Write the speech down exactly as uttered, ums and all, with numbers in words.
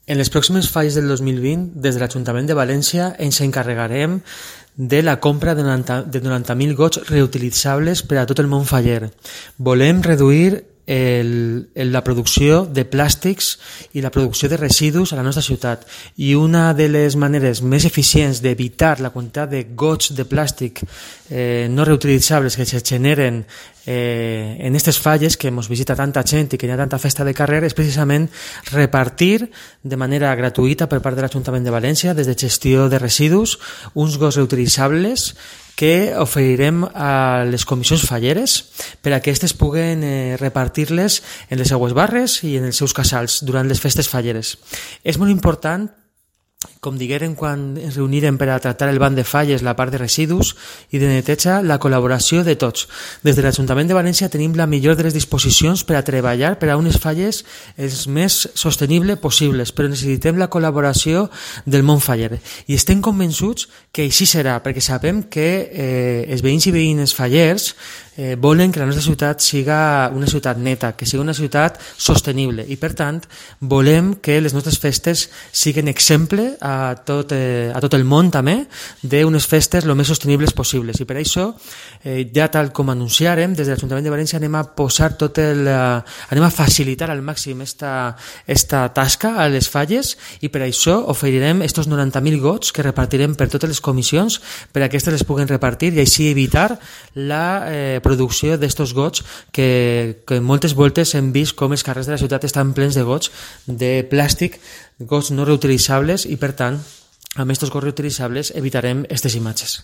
En les pròximes falles del dos mil vint, des de l'Ajuntament de València ens encarregarem de la compra de noranta mil gots reutilitzables per a tot el món faller. Volem reduir el, la producció de plàstics i la producció de residus a la nostra ciutat, i una de les maneres més eficients d'evitar la quantitat de gots de plàstic eh, no reutilitzables que se generen eh, en aquestes falles que ens visita tanta gent i que hi ha tanta festa de carrer és precisament repartir de manera gratuïta per part de l'Ajuntament de València, des de gestió de residus, uns gots reutilitzables que oferirem a les comissions falleres per a que aquestes puguen eh, repartir-les en les seues barres i en els seus casals durant les festes falleres. És molt important, com diguérem quan ens reunirem per a tractar el banc de falles, la part de residus i de neteja, la col·laboració de tots. Des de l'Ajuntament de València tenim la millor de les disposicions per a treballar per a unes falles els més sostenibles possibles, però necessitem la col·laboració del món faller. I estem convençuts que així serà, perquè sabem que eh, els veïns i veïnes fallers eh, volen que la nostra ciutat siga una ciutat neta, que siga una ciutat sostenible, i per tant volem que les nostres festes siguin exemple a tot, eh, a tot el món també d'unes festes el més sostenibles possibles, i per això eh, ja tal com anunciarem des de l'Ajuntament de València anem a posar tot el eh, anem a facilitar al màxim esta, esta tasca a les falles, i per això oferirem estos noranta mil gots que repartirem per totes les comissions per a que aquestes les puguen repartir i així evitar la eh, producció d'estos gots que, que moltes voltes hem vist com els carrers de la ciutat estan plens de gots de plàstic, gots no reutilitzables, i per tant amb aquests gots reutilitzables evitarem aquestes imatges.